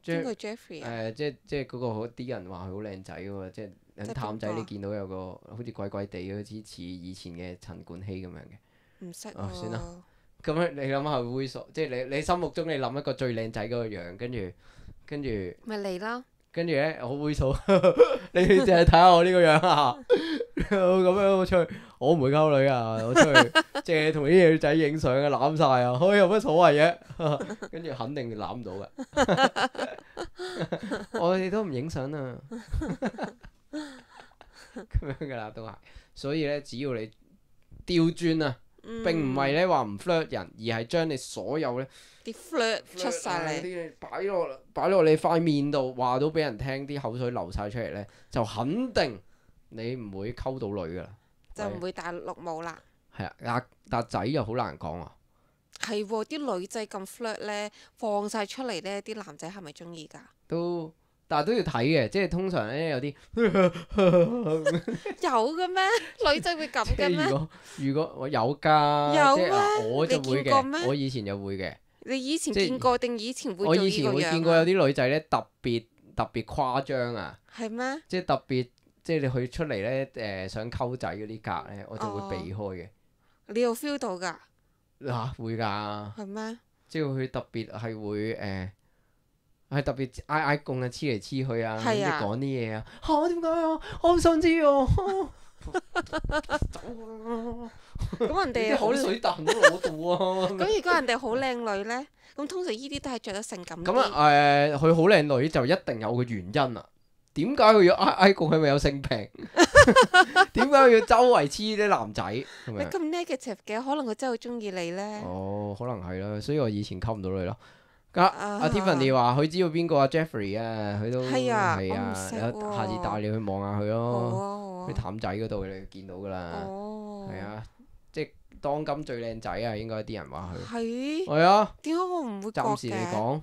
邊個 Jeffrey 啊？誒，即係即係嗰個啲人話佢好靚仔嘅喎，即係探仔你見到有個好似鬼鬼地，好似似以前嘅陳冠希咁樣嘅。唔識喎。哦，算啦，咁樣你諗下猥瑣，即係你你心目中你諗一個最靚仔嗰個樣，跟住跟住咪嚟咯。跟住咧好猥瑣，你淨係睇下我呢個樣啊！咁樣我出去，我唔會溝女啊！我出去淨係同啲女仔影相啊，攬晒啊，可以有乜所謂嘅？跟住肯定攬唔到嘅，我哋都唔影相啊！咁樣噶啦，都係。所以咧，只要你調轉啊，嗯並唔係咧話唔 flirt 人，而係將你所有咧啲 flirt 出晒嚟，啲嘢擺落擺落你塊面度，話到俾人聽，啲口水流晒出嚟咧，就肯定你唔會溝到女噶啦，就唔會戴綠帽啦。係啊，但但仔又好難講啊。係喎，啲女仔咁 flirt 咧，放晒出嚟咧，啲男仔係咪中意㗎？都，但係都要睇嘅，即係通常咧有啲有嘅咩？女仔會咁嘅咩？如果如果我有㗎，有即係啊咩我就會你見過咩嘅，我以前就會嘅。你以前即係見過定以前會我以做呢個樣前會見過有啊？啲女仔咧特別特別誇張啊，係咩？即係特別即係你去出嚟咧誒想溝仔嗰啲格咧，我就哦會避開嘅。你有 feel 到㗎？嚇會㗎，係咩？即係佢特別係會誒係特別嗌嗌共啊，黐嚟黐去啊，跟住係啊講啲嘢啊嚇點解啊？我好想知啊！走啊！咁人哋好啲口水彈都攞到啊！咁如果人哋好靚女咧，咁通常呢啲都係着得性感咁啊啲。誒，佢好靚女就一定有個原因啊！點解佢要嗌嗌共？係咪有性病？點解佢要周圍黐啲男仔咁樣？你咁 negative 嘅，可能佢真係好中意你咧。哦，可能係啦，所以我以前溝唔到女咯。阿啊阿 Tiffany 話佢知道邊個阿 Jeffrey 啊，佢都係啊係啊，我唔識有喎下次帶你去望下佢好咯。啊好啊。去譚仔嗰度你見到噶啦，哦。係啊，即係當今最靚仔啊，應該啲人話佢。係。係啊，點解我唔會覺暫時嚟嘅？講。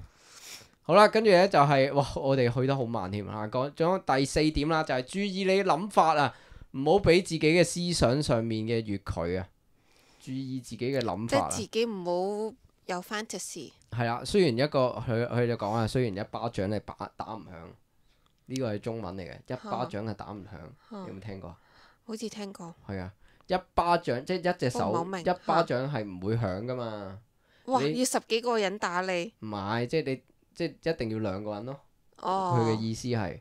好啦，跟住咧就係、哇，我哋去得好慢添啊！講咗第四點啦，就係、注意你諗法啊，唔好俾自己嘅思想上面嘅越矩啊，注意自己嘅諗法啊。即係自己唔好有 fantasy。係啦，雖然一個佢佢就講啊，雖然一巴掌你打打唔響，呢個係中文嚟嘅，一巴掌係打唔響，嚇有冇聽過？好似聽過。係啊，一巴掌即係一隻我唔係好手明一巴掌係唔會響噶嘛，哇！你要十幾個人打你。唔係即係你即係一定要兩個人咯。哦。佢嘅意思係。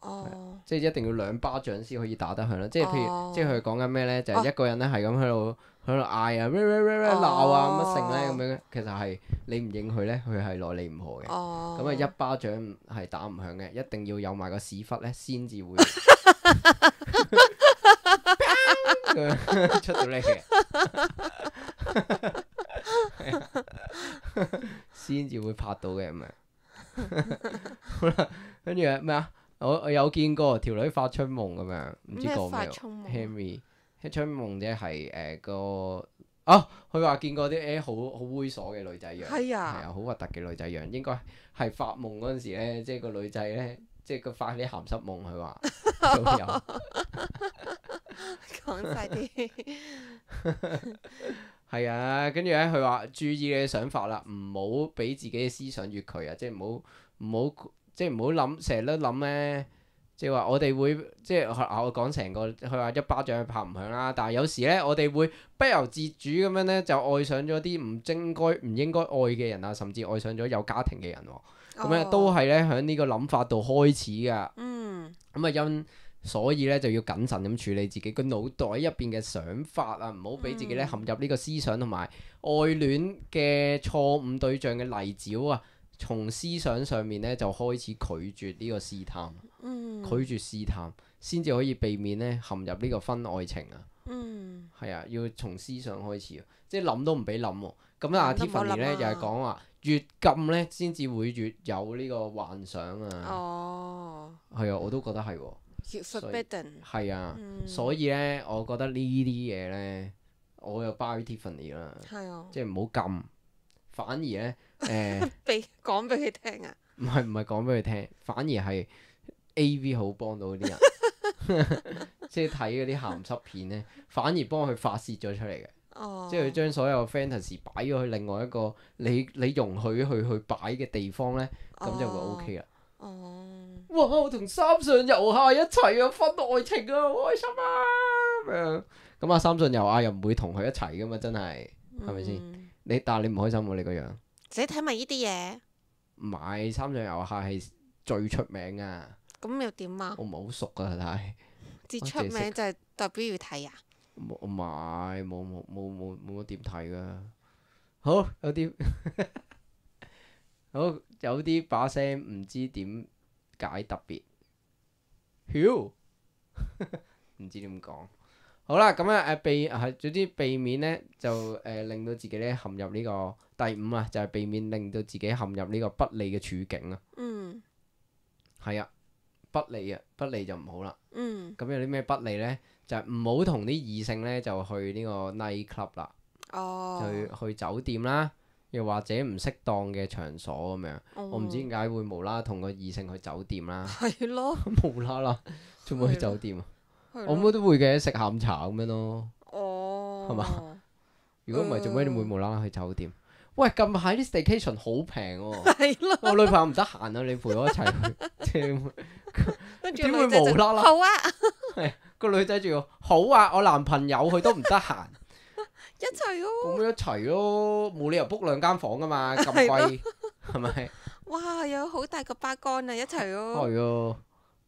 哦。即係一定要兩巴掌先可以打得響啦，即係譬如，哦即係佢講緊咩咧？就係、哦一個人咧係咁喺度喺度嗌啊，鬧啊乜剩咧咁樣，其實係你唔應佢咧，佢係攞你唔何嘅。哦。咁啊、一巴掌係打唔響嘅，一定要有埋個屎忽咧先至會出到嚟嘅，先至會拍到嘅咁樣。好啦，跟住咩啊？我我有見過條女發春夢咁樣，唔知咩講咩發春夢啊？Henry，春夢啫係誒個啊，佢話見過啲誒好好猥瑣嘅女仔樣，係啊係啊，好核突嘅女仔樣，應該係發夢嗰陣時咧，即係個女仔咧，即係佢發啲鹹濕夢，佢話都有。講晒啲。係啊，跟住咧佢話注意你嘅想法啦，唔好俾自己嘅思想越矩啊，即係唔好唔好即係唔好諗成日都諗咧，即係話我哋會即係我講成個佢話一巴掌拍唔響啦，但係有時咧我哋會不由自主咁樣咧就愛上咗啲唔應該唔應該愛嘅人啊，甚至愛上咗有家庭嘅人喎，咁咧、哦都係咧喺呢個諗法度開始噶。嗯。咁啊因所以咧就要謹慎咁處理自己個腦袋入邊嘅想法啊，唔好俾自己咧陷入呢個思想同埋愛戀嘅錯誤對象嘅泥沼啊，從思想上面咧就開始拒絕呢個試探，嗯。拒絕試探，先至可以避免咧陷入呢個婚外情啊。嗯。係啊，要從思想開始啊，即係諗都唔俾諗喎。咁啊諗都唔好諗啊，Tiffany 咧又係講話越禁咧先至會越有呢個幻想啊。哦。係啊，我都覺得係喎。越 forbidden。係啊，嗯所以咧，我覺得呢啲嘢咧，我又 buy Tiffany 啦，係啊。即係唔好禁，反而咧誒，俾講俾佢聽啊。唔係唔係講俾佢聽，反而係 A V 好幫到啲人，即係睇嗰啲鹹濕片咧，反而幫佢發泄咗出嚟嘅，哦。即係佢將所有 fantasy 擺咗去另外一個你你容許佢去擺嘅地方咧，咁就會 OK 啦。哦。哇！我同三上悠亞一齊啊，婚外情啊，好開心啊咁樣。咁啊，三上悠亞又唔會同佢一齊噶嘛，真係係咪先？嗯你但係你唔開心喎，你個樣。自己睇埋呢啲嘢，唔係三上悠亞係最出名啊！咁又點啊？我唔係好熟啊，但係至出名就係代表要睇啊？冇唔係冇冇冇冇冇乜點睇噶。好有啲好有啲把聲唔知點解特別，曉唔知點講。好啦，咁啊誒避係總之避免呢，就誒、呃、令到自己咧陷入呢、這個第五啊，就係、是、避免令到自己陷入呢個不利嘅處境啊。嗯。係啊，不利啊，不利就唔好啦。嗯。咁有啲咩不利呢？就係唔好同啲異性呢，就去呢個 night club 啦，哦。去去酒店啦，又或者唔適當嘅場所咁樣。哦、我唔知點解會無啦啦同個異性去酒店啦。係咯。無啦啦，做咩去酒店啊？咯我妹都會嘅，食下午茶咁樣咯。哦。係嘛？如果唔係，做咩你會無啦啦去酒店？喂，近排啲 staycation 好平喎。係咯。我女朋友唔得閒啊，你陪我一齊去。跟住點會無啦啦？好啊。係個女仔仲要好啊！我男朋友佢都唔得閒。一齊咯。咁咪一齊咯，冇理由 book 兩間房噶嘛，咁貴係咪？哇！有好大個巴杆啊，一齊咯。係啊，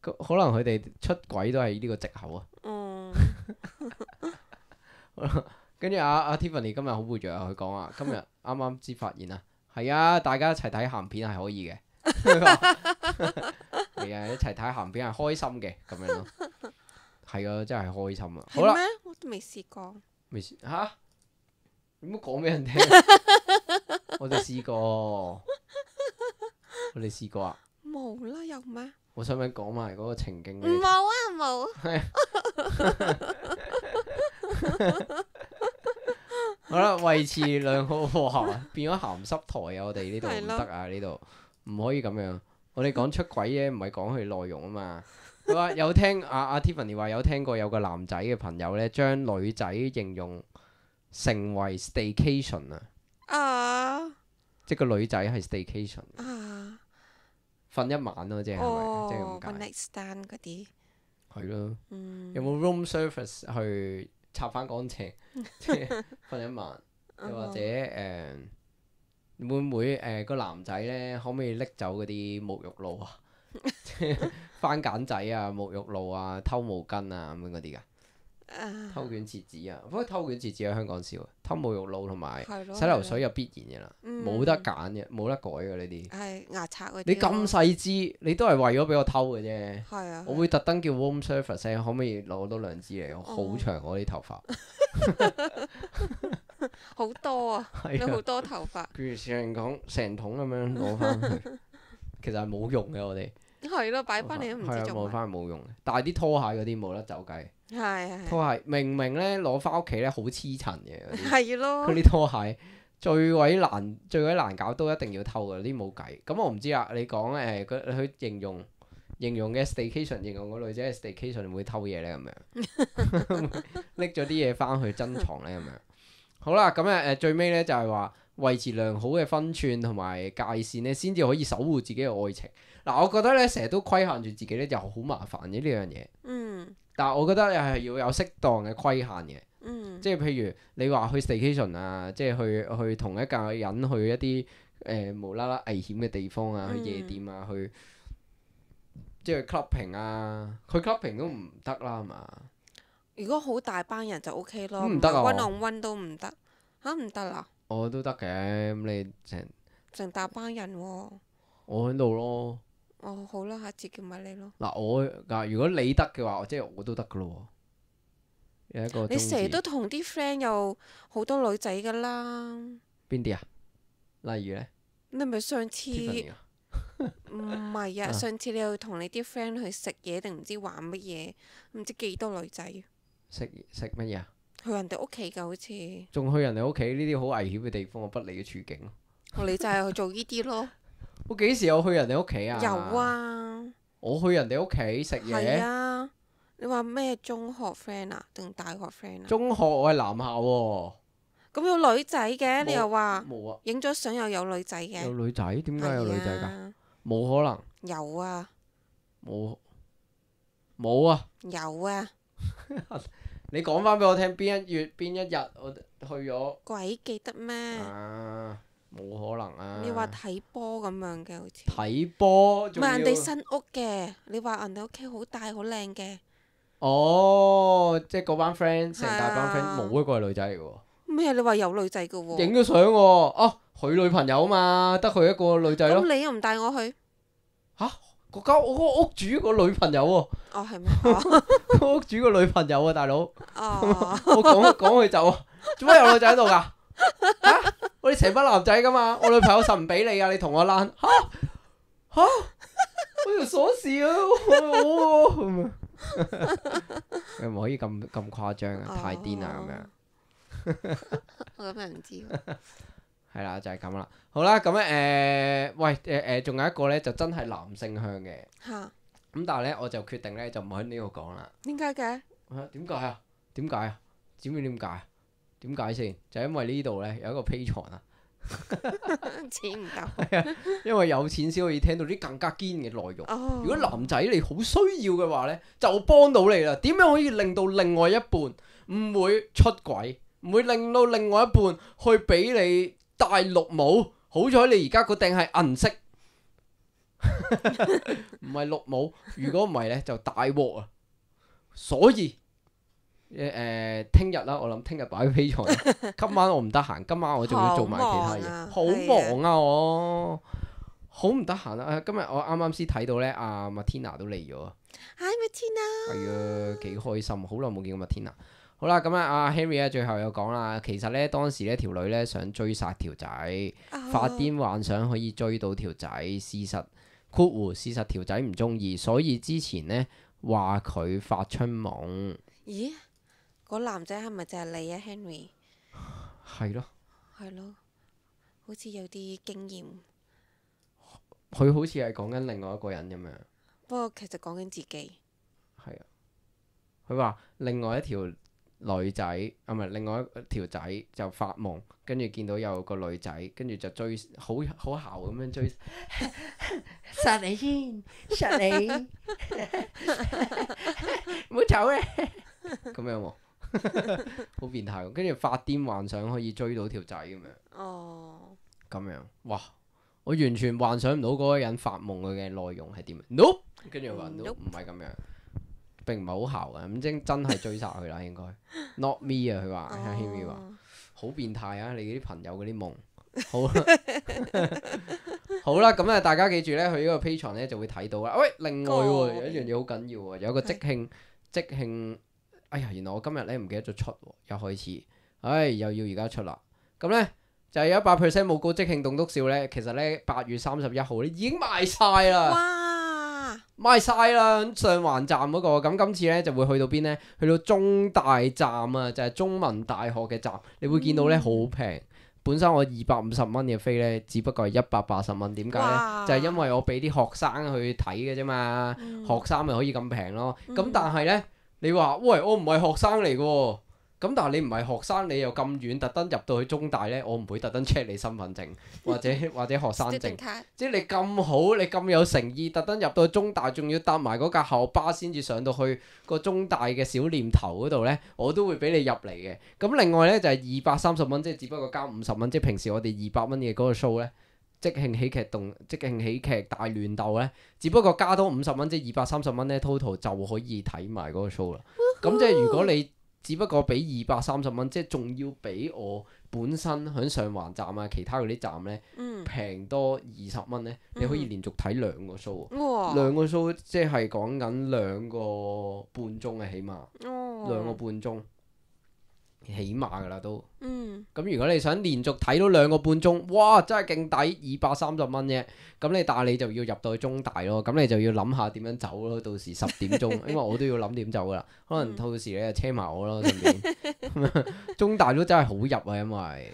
可能佢哋出軌都係呢個藉口啊。嗯。跟住阿阿 Tiffany 今日好活躍啊！佢講啊，今日啱啱先發現啊，係啊，大家一齊睇鹹片係可以嘅。係啊，一齊睇鹹片係開心嘅咁樣咯。係啊，真係開心啊！好啦，咩？我都未試過。未試嚇？點解講俾人聽？我哋試過，我哋試過啊！冇啦，有咩？我想唔想講埋嗰個情景？冇啊，冇。好啦，維持良好哇，變咗鹹濕台啊！我哋呢度唔得啊，呢度唔可以咁樣。我哋講出軌嘅，唔係講佢內容啊嘛。佢話有聽阿阿 Tiffany 話有聽過有個男仔嘅朋友呢，將女仔形容成為 staycation 啊。啊！即係個女仔係 staycation。啊！瞓一晚咯，即係係咪？即係咁解。one night stand 嗰啲。係咯。嗯。有冇 room service 去擦翻乾淨，即係瞓一晚，又或者誒會唔會誒個男仔呢？可唔可以拎走嗰啲沐浴露啊？即係番梘仔啊、沐浴露啊、偷毛巾啊咁樣嗰啲㗎？偷卷廁紙啊，不過偷卷廁紙喺香港少，偷沐浴露同埋洗頭水又必然嘅啦，冇得揀嘅，冇得改嘅呢啲。係牙刷嗰啲。你咁細支，你都係為咗俾我偷嘅啫。係啊。我會特登叫 room service，可唔可以攞多兩支嚟？我好長我啲頭髮。好多啊！有好多頭髮。譬如成桶成桶咁樣攞翻去，其實係冇用嘅我哋。係咯，擺翻嚟都唔知做乜。攞翻冇用嘅，但係啲拖鞋嗰啲冇得走雞。係係。拖鞋明明咧攞翻屋企咧好黐塵嘅嗰啲。係咯。嗰啲拖鞋最鬼難最鬼難搞，都一定要偷嘅，啲冇計。咁我唔知啊，你講誒佢佢形容形容嘅 staycation，形容個女仔嘅 staycation 會偷嘢咧咁樣，拎咗啲嘢翻去珍藏咧咁樣。好啦，咁誒誒最尾咧就係話維持良好嘅分寸同埋界線咧，先至可以守護自己嘅愛情。嗱，我覺得咧成日都規限住自己咧就好麻煩嘅呢樣嘢。嗯。但係我覺得又係要有適當嘅規限嘅。嗯。即係譬如你話去 staycation 啊，即係去去同一個人去一啲誒、呃、無啦啦危險嘅地方啊，去夜店啊，去即係 clubbing 啊，去 clubbing 都唔得啦，係嘛？如果好大班人就 OK 咯，唔得啊，one on one都唔得嚇，唔得啦。我都得嘅，咁你成成大班人喎。我喺度咯。哦，好啦，下次叫埋你咯。嗱，我嗱如果你得嘅話，即係我都得噶咯喎。有一個你成日都同啲 friend 有好多女仔㗎啦。邊啲啊？例如咧？你咪上次？Tiffany 啊？唔係啊！上次你又同你啲 friend 去食嘢定唔知玩乜嘢？唔知幾多女仔。食食乜嘢啊？去人哋屋企㗎，好似。仲去人哋屋企呢啲好危險嘅地方，不利嘅處境咯。你就係去做呢啲咯。我幾時有去人哋屋企啊？有啊。我去人哋屋企食嘢。係啊。你話咩中學 friend 啊，定大學 friend 啊？中學我係男校喎。咁有女仔嘅，你又話冇啊？影咗相又有女仔嘅。有女仔？點解有女仔㗎？冇可能。有啊。冇。冇啊。有啊。你講翻俾我聽，邊一月邊一日我去咗鬼記得咩？啊，冇可能啊！你話睇波咁樣嘅好似。睇波唔仲要係人哋新屋嘅，你話人哋屋企好大好靚嘅。哦，即係嗰班 friend 成大班 friend 係啊冇一個係女仔嚟嘅喎。咩？你話有女仔嘅喎？影咗相喎，啊，佢女朋友啊嘛，得佢一個女仔咯。咁你又唔帶我去？嚇，嗰間我嗰個屋主個女朋友喎，哦，係咩？哦，個屋主個女朋友啊，大佬，哦，我講講佢走啊，做乜有女仔喺度㗎？嚇，我哋成班男仔㗎嘛，我女朋友實唔俾你啊，你同我躝嚇嚇，我條鎖匙啊，我咁啊，你唔可以咁咁誇張啊，太癲啦咁樣。我咁又唔知喎。係啦，就係咁啦。好啦，咁咧誒，喂誒誒，仲有一個咧就真係男性向嘅。嚇？咁但係咧，我就決定咧就唔喺呢度講啦。點解嘅？啊，點解啊？點解啊？知唔知點解啊？點解先？就因為呢度咧有一個 Patreon 啊。錢唔夠。係啊，因為有錢先可以聽到啲更加堅嘅內容。哦。如果男仔你好需要嘅話咧，就幫到你啦。點樣可以令到另外一半唔會出軌，唔會令到另外一半去俾你戴綠帽？好彩你而家嗰頂係銀色，唔係綠帽。如果唔係咧，就大鑊啊！所以誒誒，聽日啦，我諗聽日擺喺 Patreon。今晚我唔得閒，今晚我仲要做埋其他嘢，好忙啊！我好唔得閒啊！今日我啱啱先睇到咧，阿 Matina 都嚟咗啊！ Hi Matina。係啊，幾開心，好耐冇見過 Matina。好啦，咁啊，阿 Henry 咧最後又講啦，其實咧當時咧條女咧想追殺條仔，發癲幻想可以追到條仔，事實括弧事實條仔唔中意，所以之前咧話佢發春夢。咦？嗰男仔係咪就係你啊 Henry？係咯。係咯，好似有啲經驗。佢好似係講緊另外一個人咁樣。不過其實講緊自己。係啊。佢話另外一條女仔啊，唔係另外一條仔就發夢，跟住見到有個女仔，跟住就追，好好姣咁樣追，殺你先，殺你，唔好走咧，咁樣喎，好變態喎，跟住發癲幻想可以追到條仔咁樣。哦。咁樣，哇！我完全幻想唔到嗰個人發夢佢嘅內容係點？No， 跟住話 no，唔係咁樣。並唔係好姣啊，咁真真係追殺佢啦，應該。Not me 啊，佢話，阿 Henry 話，好變態啊！你啲朋友嗰啲夢，好啦，好啦，咁啊，大家記住咧，去呢個 Patreon 咧就會睇到啦。喂，另外喎，有一樣嘢好緊要喎，有一個即興即興，哎呀，原來我今日咧唔記得咗出喎，一開始，唉，又要而家出啦。咁咧就係有一百 percent 冇高即興棟篤笑咧，其實咧八月三十一號咧已經賣晒啦。哇！賣晒啦，上環站嗰個，咁今次咧就會去到邊呢？去到中大站啊，就係中文大學嘅站，你會見到咧好平。本身我二百五十蚊嘅飛咧，只不過係一百八十蚊。點解呢？就係因為我俾啲學生去睇嘅啫嘛，學生咪可以咁平咯。咁但係呢，你話喂，我唔係學生嚟嘅喎。咁但係你唔係學生，你又咁遠，特登入到去中大呢，我唔會特登 check 你身份證或者或者學生證，即係你咁好，你咁有誠意，特登入到去中大，仲要搭埋嗰架校巴先至上到去個中大嘅小念頭嗰度呢，我都會俾你入嚟嘅。咁另外呢，就係二百三十蚊，即係只不過交五十蚊，即係平時我哋二百蚊嘅嗰個 show 呢，即興喜劇動即興喜劇大亂鬥呢，只不過加多五十蚊，即係二百三十蚊呢 total 就可以睇埋嗰個 show 啦。咁即係如果你只不過俾二百三十蚊，即係仲要俾我本身喺上環站啊，其他嗰啲站呢，平、嗯、多二十蚊呢，你可以連續睇兩個 show，哇兩個 show 即係講緊兩個半鐘啊，起碼、哦、兩個半鐘。起碼噶啦都，咁、嗯、如果你想連續睇到兩個半鐘，哇，真係勁抵，二百三十蚊啫。咁你但係你就要入到去中大咯，咁你就要諗下點樣走咯。到時十點鐘，因為我都要諗點走噶啦。可能到時你就車埋我咯，順便。中大都真係好入啊，因為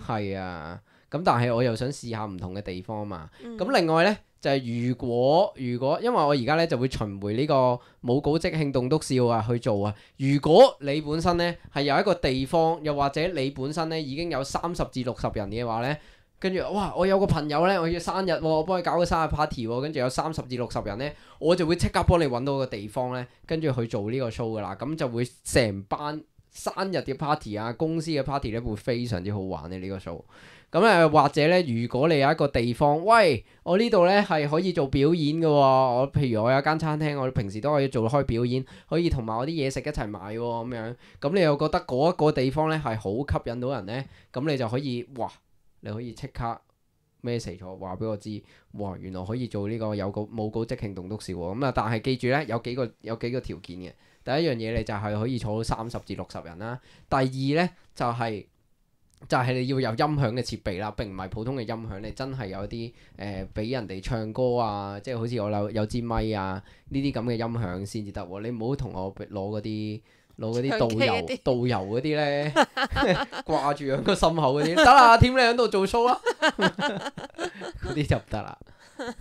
係啊。咁但係我又想試下唔同嘅地方嘛。咁、嗯、另外呢，就係、是、如果如果因為我而家呢就會巡迴呢個冇稿即興棟篤笑啊去做啊。如果你本身呢係有一個地方，又或者你本身呢已經有三十至六十人嘅話呢，跟住哇我有個朋友呢，我要生日喎，我幫佢搞個生日 party 喎，跟住有三十至六十人呢，我就會即刻幫你揾到個地方呢，跟住去做呢個 show 噶啦。咁就會成班生日嘅 party 啊，公司嘅 party 咧會非常之好玩嘅呢個 show。咁誒或者咧，如果你有一個地方，喂，我呢度咧係可以做表演嘅喎，我譬如我有間餐廳，我平時都可以做開表演，可以同埋我啲嘢食一齊賣喎咁樣。咁你又覺得嗰一個地方咧係好吸引到人咧，咁你就可以，哇！你可以即刻 message 咗話俾我知，哇！原來可以做呢個有稿冇稿即興棟篤笑喎。咁啊，但係記住咧，有幾個有幾個條件嘅。第一樣嘢你就係可以坐到三十至六十人啦。第二咧就係、是。就係你要有音響嘅設備啦，並唔係普通嘅音響，你真係有啲誒俾人哋唱歌啊，即係好似我有有支咪啊呢啲咁嘅音響先至得喎。你唔好同我攞嗰啲攞嗰啲導遊導遊嗰啲咧掛住喺個心口嗰啲，得啦，添你喺度做 show 啦，嗰啲就唔得啦。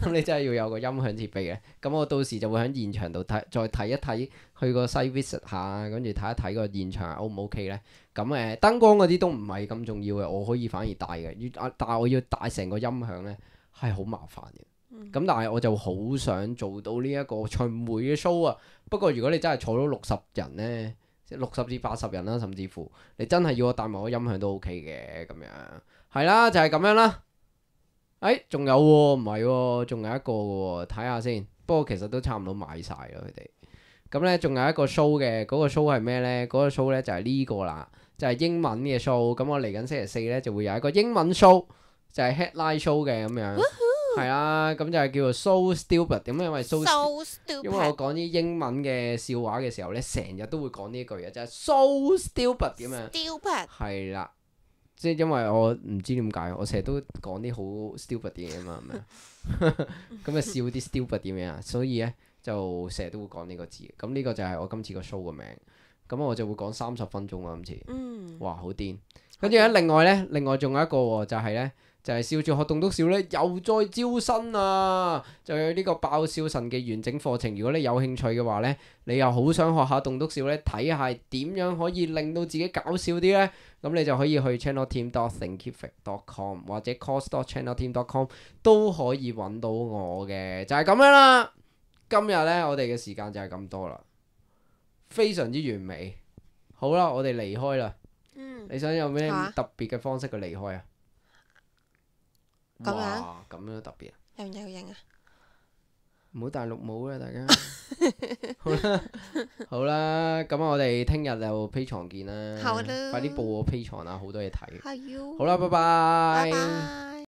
咁你真係要有個音響設備嘅。咁我到時就會喺現場度睇，再睇一睇，去個 site visit 下，跟住睇一睇個現場 O 唔 OK 咧。咁誒、呃、燈光嗰啲都唔係咁重要嘅，我可以反而帶嘅。要但係我要帶成個音響咧，係好麻煩嘅。咁、嗯、但係我就好想做到呢一個巡迴嘅 show 啊。不過如果你真係坐到六十人咧，即六十至八十人啦，甚至乎你真係要我帶埋個音響都 OK 嘅咁樣。係啦，就係、是、咁樣啦。誒，仲有喎，唔係喎，仲有一個嘅喎，睇下先。不過其實都差唔多買晒啦，佢哋。咁咧，仲有一個 show 嘅，嗰、嗰個 show 係咩咧？嗰、嗰個 show 咧就係呢個啦，就係、係、英文嘅 show。咁我嚟緊星期四咧就會有一個英文 show，就係 headline show 嘅咁樣。係啊，咁就係叫做 so stupid。咁因為 so stupid，因為我講啲英文嘅笑話嘅時候咧，成日都會講呢一句嘅，就係 so stupid 咁樣。stupid。係啦。即係因為我唔知點解，我成日都講啲好 stupid 嘅嘢啊嘛，係咪？咁啊笑啲 stupid 點樣啊？所以咧就成日都會講呢個字。咁呢個就係我今次個 show 嘅名。咁我就會講三十分鐘啊，今次。嗯。哇，好癲！跟住咧，另外咧，另外仲有一個喎，就係咧，就係笑住學棟篤笑咧，又再招新啊！就有呢個爆笑神嘅完整課程。如果你有興趣嘅話咧，你又好想學下棟篤笑咧，睇下點樣可以令到自己搞笑啲咧？咁你就可以去 channel team dot thinkific dot com 或者 course dot channel team dot com 都可以揾到我嘅，就係咁樣啦。今日呢，我哋嘅時間就係咁多啦，非常之完美。好啦，我哋離開啦。嗯、你想有咩特別嘅方式去離開啊？咁樣？咁樣特別啊？有唔有型啊？唔好大陸冇啦，大家。好啦，好啦，咁我哋聽日就 Patreon 見啦。好啦，快啲報我 Patreon啊，好多嘢睇。好啦，拜拜。拜拜。